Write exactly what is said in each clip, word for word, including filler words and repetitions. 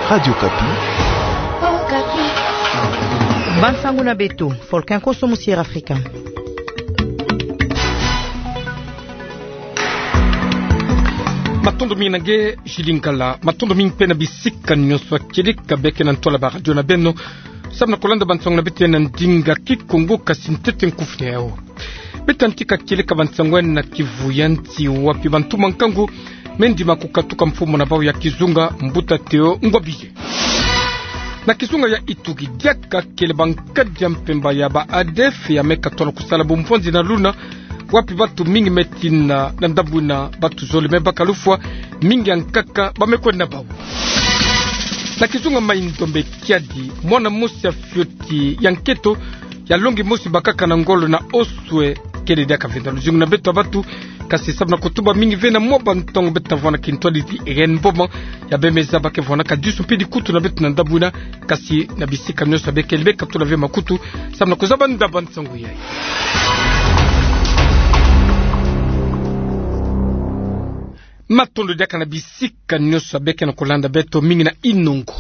Radio Okapi. Bansango na beto, Folkin Koso, Musier Afrika. Matondo mingi na nge, Julie Ngala. Matondo mingi mpe na bisika nyonso ya kieleka beke na ntwala ba radio na beno, samu na kolanda bansango na beto ya na ndinga Kikongo, kasi ntete nkufi na yao. Beta ntika kieleka bansango ya na kivu ya nsi, wapi bantu ma nkangu me ndima kukatuka mfumu na bau ya kizunga, Mbuta Théo Ngobije. Na kizunga ya Ituri diaka kele bankadi ya mpemba ya ba ADF ya me katona kusala bumvwanzi na luna, wapi batu mingi me tina na ndambu ina batu zole me baka lufwa, mingi ya nkaka ba me kwenda na bau. Na kizunga Mai-Ndombe, kiadi mwana mosi ya fioti ya nketo ya longi mosi bakaka na ngolo na oswe, kele diaka venda luzingu na beto ya batu, kasi samu na kutuba mingi ve na mwa bantangu beta vwanda kintwadi ti Irène Mboma, ya bemeza ba ke vwandaka disu mpe dikutu na beto na ndambu ina, kasi na bisika nyonso ya beke, beka tula ve makutu samu na kuzaba ndaba nsangu yayi. Matondo diaka na bisika nyonso ya beke na kolanda beto, mingi na inongo.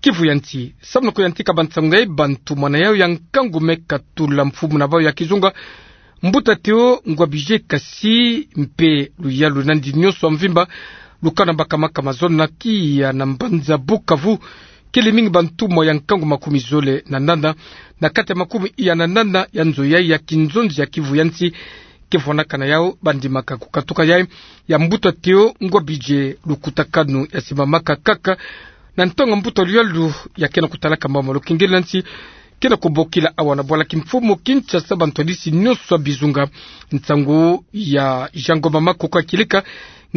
Kivu ya nsi, samu na kuyantika bansangu yayi, bantu mwana yao ya nkangu me katula mfumu na bau ya kizunga, Mbuta Théo Ngobije, kasi mpe luyalu na nsi nyonso ya mvimba, lukana baka makama zole na tiya na mbanza Bukavu, kele mingi bantumwa ya nkangu makumi zole na nana, na kati ya makumi iya na nana ya nzo yayi ya kinzonzi ya Kivu ya nsi, ke vwandaka na yao, ba ndimaka kukatuka yayi ya Mbuta Théo Ngobije. Lukutakanu ya simamaka kaka na ntangu mbuta luyalu ya ke na kutalaka mambu ma lukengeli na nsi ke na kubokila awa na bwala kimfumu Kinshasa bantwadisi nyonso ya bizunga. Nsangu ya Jean Ngoma Makoko ya kieleka,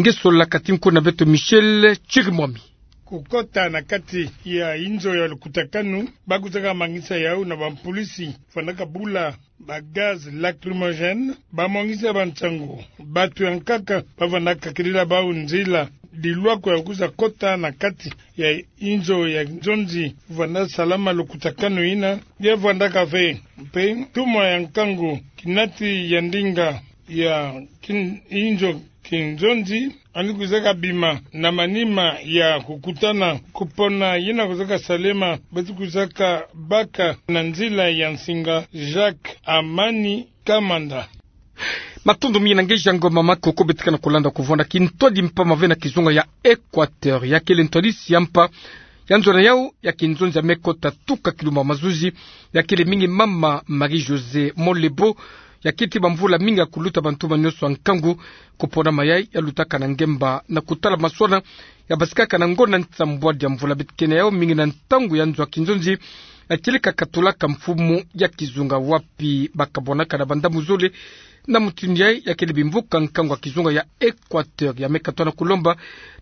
nge solaka ti nkundu na beto Michel Chirimwami. Kukota na kati ya inzo ya lukutakanu, ba kuzaka mangisa yao na bampolisi, fwanaka bula ba gaz lacrymogène, ba mwangisa bansangu. Batu ya nkaka ba vwandaka kilila bau nzila, dilwako ya kuza kota na kati ya inzo ya nzonzi, vwanda salama lukutakanu ina, ya vwandaka ve. Mpe ntumwa ya nkangu, kinati ya ndinga ya kin-, inzo kinzonzi, yandi kuzaka bima na manima ya kukutana kupona yina kuzaka salema, bati kuzaka baka na nzila ya nsinga Jacques Amani Kamanda. Matondo mingi na nge Jean Ngoma Makoko. Betika na kolanda kuvwanda kintwadi mpamba ve na kizunga ya Équateur, ya kele ntwadisi ya mpa ya nzo na yao ya kinzonzi ya me kota tuka kilumba mazuzi, ya kele mingi mama Marie-Josée Molebo, ya keti bamvula mingi ya kuluta bantuma nyonso ya nkangu. Kupona ma yayi ya lutaka na ngemba na kutala maswana ya basikaka na ngonda nsambwadi ya mvula. Betikene yao mingi na ntangu ya nzo ya kinzonzi, ya kieleka katulaka mfumu ya kizunga, wapi ba kabwanaka na bandambu zole. Na mutindu yayi, ya kele bimvuka nkangu ya kizunga ya Équateur ya me katona kulomba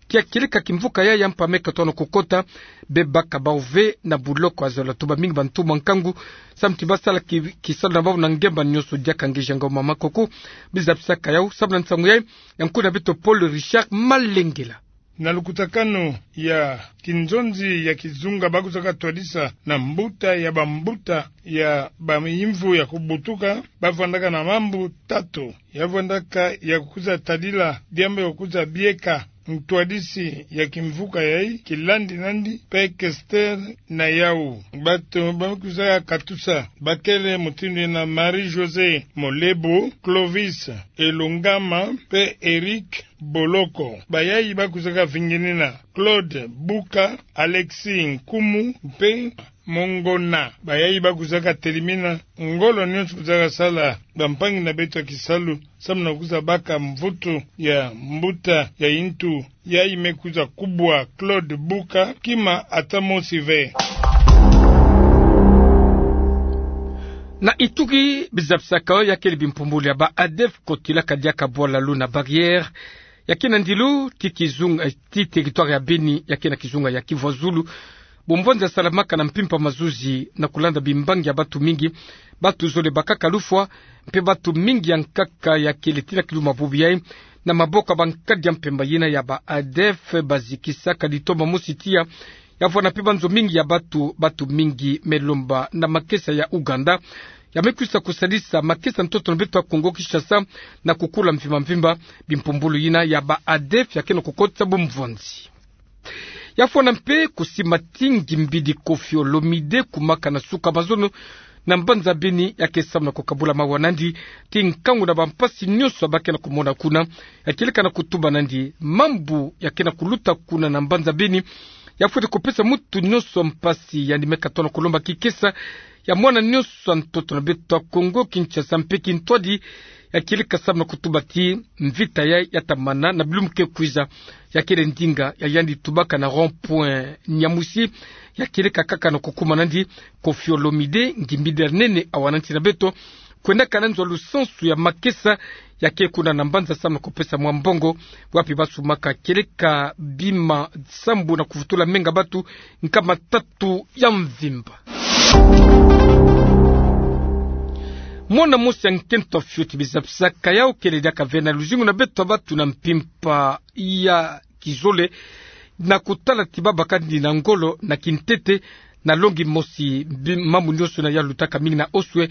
ti ya kieleka kimvuka yayi ya mpa me katona kukota, be baka bau ve na buloko. Ya zola tuba mingi bantuma nkangu samu ti ba sala ki-, kisalu na bau na ngemba nyonso. Diaka nge Jean Ngoma Makoko, bizabisaka yao samu na nsangu yayi ya nkundu na beto Paul Richard Malengela. Na lukutakanu ya kinzonzi ya kizunga, ba kuzaka twadisa na mbuta ya bambuta ya bayimvu ya kubutuka, ba vwandaka na mambu tatu. Ya vwandaka ya kuza tadila diambu ya kuza bieka ntwadisi ya kimvuka yayi, kilandi nandi mpe questeur na yao. Batu ba kuzaka katusa ba kele mutindu yina: Marie-Josée Molebo, Clovis Elungama mpe Eric Boloko. Bayayi ba kuzaka vinginina: Claude Buka, Alexis Nkumu mpe Mongona. Bayayi ba kuzaka telimina ngolo nyonso kuzaka sala bampangi na beto ya kisalu samu na kuza baka mvutu ya mbuta ya yintu yayi me kuza kubwa Claude Buka kima ata mosi ve. Na Ituri, bizabisaka yao ya kele bimpumbulu ya ba ADF kotilaka diaka bwala luna Barrière, ya ke na ndilu ti kizunga, eh, ti territoire ya Beni, ya ke na kizunga ya Kivu ya Zulu. Bumvwanzi ya salamaka na mpimpa mazuzi na kulanda bimbangi ya batu mingi. Batu zole bakaka lufwa, mpe batu mingi ya nkaka ya kele ti na kilumba bubu yayi na maboko ya bankadi ya mpemba yina ya ba ADF. Bazikisaka litoma mosi tiya, ya vwanda mpe banzo mingi ya batu, batu mingi me lomba na makesa ya Ouganda, ya me kwisa kusalisa makesa ntoto na beto ya Kongo Kinshasa na kukula mvimba mvimba. Bimpumbulu yina ya ba ADF ya ke na kukotisa bumvwanzi. Ya fwana mpe kusimba ti ngimbidi Koffi Olomide kumaka na suka mazono na mbanza Beni, ya ke samu na kukabula mawa nandi ti nkangu na bampasi nyonso ba ke na kumona kuna. Ya kieleka na kutuba nandi mambu ya ke na kuluta kuna na mbanza Beni ya fweti kupesa mutu nyonso mpasi, yandi me katona kulomba kikesa ya mwana nyonso ya ntoto na beto ya Kongo Kinshasa mpe kintwadi. Ya kieleka samu na kutuba ti mvita ya, ya tamana na bilumbu ke kwiza. Ya kele ndinga ya yandi tubaka na rond-point Nyamwisi. Ya kieleka kaka na kukuma nandi Koffi Olomide, ngimbidi ya nene awa na nsi na beto, kwendaka na nzo lusansu ya makesa. Ya ke kuna na mbanza samu na kupesa mwa mbongo, wapi ba sumaka kieleka bima sambu na kuvutula menga batu nkama tatu ya mvimba. Mwana mosi ya nkento ya fioti biza pisaka yau kele diaka ve na luzingu na beto ya batu na mpimpa ya kizole, na kutala ti ba baka nandi na ngolo na kintete, na longi mosi bi-, mambu nyonso na ya lutaka mingi na Oswe,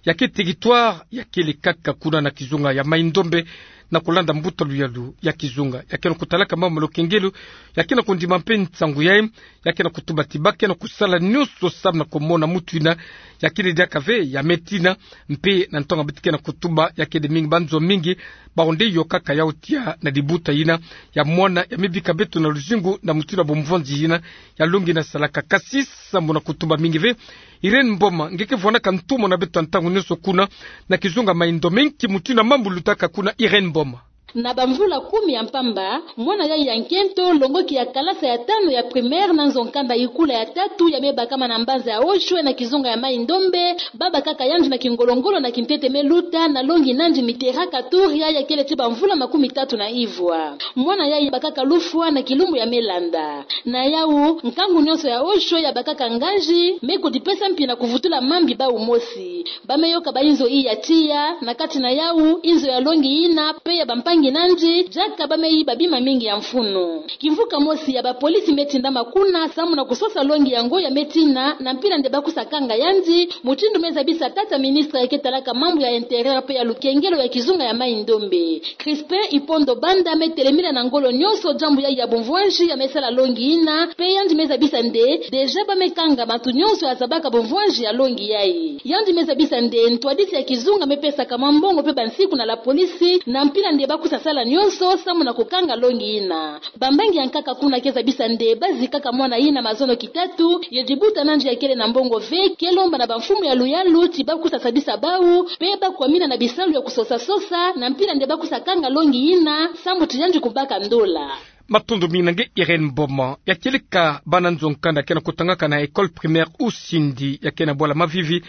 ya ke territoire ya kele kaka kuna na kizunga ya Mai-Ndombe, na kulanda mbuta luyalu ya kizunga. Ya ke na kutalaka mambu ma lukengelo, ya ke na kundima mpe nsangu yayi. Ya ke na kutuba ti ba ke na kusala nyonso samu na kumona mutu yina ya kele diaka ve ya me tina. Mpe na ntangu beto ke na kutuba, ya kele mingi banzo mingi bawu nde yokaka yau tia na dibuta yina ya mwana ya me bika beto na luzingu na mutindu ya bumvwanzi yina ya longi yina salaka. Kasi sambu na kutuba mingi ve, Irène Mboma, nge ke vwanaka ntumwa na beto ya ntangu nyonso kuna na kizunga Mai-Ndombe, nki mutindu ya mambu lutaka kuna, Irène Mboma? Na bamvula kumi ya mpamba, mwana yayi ya nkento, longoki ya kalasa ya tanu ya primaire na nzo-nkanda Ikula ya tatu ya me bakama na mbanza ya Oswe na kizunga ya Mai-Ndombe, ba bakaka yandi na kingolo-ngolo na kintete me luta na longi nandi Mitterrand Katoria ya kele ti bamvula makumi tatu na ivwa. Mwana yayi bakaka lufwa na kilumbu ya me landa. Na yau, nkangu nyonso ya Oswe ya bakaka nganzi, me kudipesa mpi na kuvutula mambi bawu mosi. Ba me yoka ba inzo iya tiya, na kati na yau, inzo ya longi yina, mpe ya bampangi nandi, diaka ba me yiba bima mingi ya mfunu. Kimvuka mosi ya bapolisi me tindama kuna, samu na kusosa longi yango ya me tina, na mpila nde ba kusa kanga yandi, mutindu me zabisa tata ministre ya ke talaka mambu ya intérieur mpe ya lukengelo ya kizunga ya Mai-Ndombe. Crispin Ipondo Banda me telemina na ngolo nyonso diambu yayi ya bumvwanzi ya me sala longi yina, mpe yandi me zabisa nde, déjà ba me kanga bantu nyonso ya zabaka bumvwanzi ya longi yayi. Yandi me zabisa nde, ntwadisi ya kizunga me pesaka mwa mbongo mpe bansiku na la police, na mpila nde ba kusa sala nyonso, samu na kukanga longi yina. Bambangi ya nkaka kuna ke zabisa nde, ba zikaka mwana yina mazono kitatu, ye dibuta nandi ya kele na mbongo ve, ke lomba na bamfumu ya luyalu, ti ba kusa sadisa bawu, mpe ba kwamina na bisalu ya kusosa-sosa, na mpila nde ba kusa kanga longi yina, samu ti yandi kubaka ndola. Matondo mingi na nge Irène Mboma. Ya kieleka bana nzo-nkanda ke na kutangaka na école primaire Usindi, ya ke na bwala Mavivi,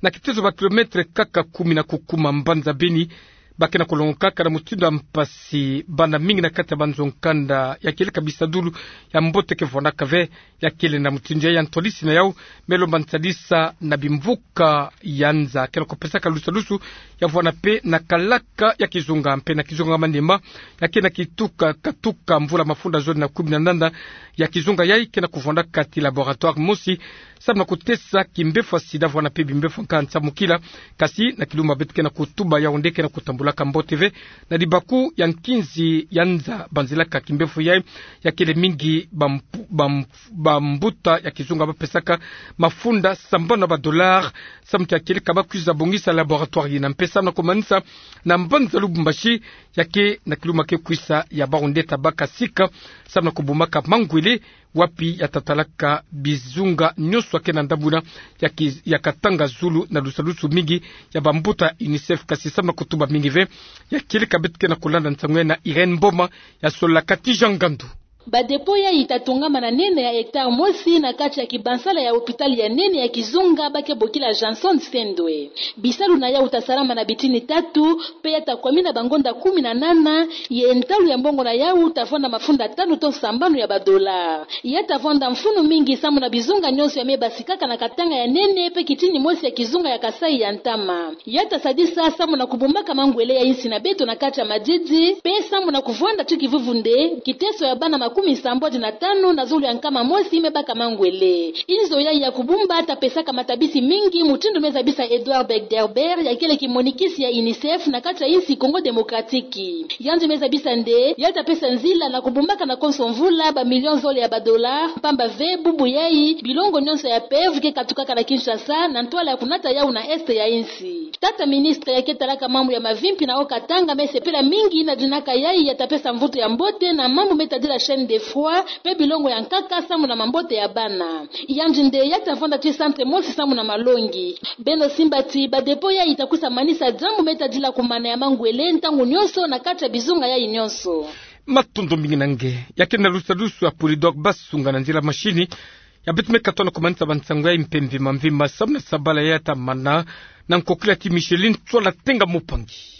na kitezo ba kilomètre kaka kumi na kukuma mbanza Beni, ba ke na kulongokaka na mutindu ya mpasi, bana mingi na kati ya banzo-nkanda, ya kieleka bisadulu ya mbote ke vwanaka ve. Ya kele na mutindu yayi, ya ntwadisi na yau me lomba nsadisa na bimvuka ya nza ke na kupesaka lusalusu, ya vwana mpe na kalaka ya kizunga mpe na kizunga Maniema, ya ke na kituka, katuka mvula mafunda zole na kumi na nana ya kizunga yayi ke na kuvwandaka ti laboratoire mosi, samu na kutesa kimbevo ya sida, vwana mpe bimbevo nka nsamukila. Kasi na kilumbu beto ke na kutuba, yau nde ke na kutambulaka mbote ve na libaku ya nkinzi ya nza banzilaka kimbevo yayi. Ya kele mingi bampu-, bam-, bambuta ya kizunga ba pesaka mafunda sambanu ya ba dollars, samu ti ya kieleka ba kwiza bongisa laboratoire yina. Mpe samu na kumanisa, na mbanza Lubumbashi, ya ke na kilumbu ke kwiza ya bawu nde ta baka sika, samu na kubumaka mangwele, wapi ya ta talaka bizunga nyonso ya ke na ndambu yina ya ki-, ya katanga zulu na lusalusu mingi ya bambuta UNICEF. Kasi samu na kutuba mingi ve, ya kieleka beto ke na kulanda nsangu yayi na Irène Mboma, ya sololaka ti Jean Ngandu. Ba dépôt yayi ta tongama na nene ya hectare mosi na kati ya kibansala ya hôpital ya nene ya kizunga ba ke bokila Johnson Sendwe. Bisalu na yau ta salama na bitini tatu, mpe ya ta kwamina bangonda kumi na nana, ye ntalu ya mbongo na yau ta vwanda mafunda tanu to sambanu ya ba dollars. Ya ta vwanda mfunu mingi samu na bizunga nyonso ya me basikaka na katanga ya nene mpe kitini mosi ya kizunga ya Kasaï ya ntama. Ya ta sadisa samu na kubumaka mangwele ya insi na beto na kati ya madidi, mpe samu na kuvwanda ti kivuvu nde, kiteso ya bana kumi sambodi na tanu na zulu ya nkama mosi me baka mangwele. Inzo yayi ya kubumba ta pesaka matabisi mingi, mutindu me zabisa Edouard Begderber, ya kele kimonikisi ya UNICEF na kati ya insi Congo Démocratique. Yandi me zabisa nde ya ta pesa nzila na kubumbaka na konso mvula ba million zole ya ba dollars, mpamba ve bubu yayi bilongo nyonso ya PEV ke katukaka na Kinshasa na ntwala ya kunata yau na est ya insi. Tata ministre ya ke talaka mambu ya mavimpi na Haut-Katanga me sepela mingi na dinaka yayi ya ta pesa mvutu ya mbote na mambu me tadila chaîne de froid, pe bilongo ya nkaka samu na mambote ya bana. Yandi nde ya ta vanda ti centre mosi samu na malongi. Beno simba ti ba dépôt yayi ta kwisa manisa diambu me tadila kumana ya mangwele ntangu nyonso na kati ya bizunga yayi nyonso. Matondo mingi na nge. Ya ke na lusalusu ya Polydor Basunga na nzila mashini. Ya beto me katono kumanisa ba nsangu yayi mpe mvimba mvimba samu na sabala ya ta mana, na nkokila ti Micheline Tswala Tenga Mupangi.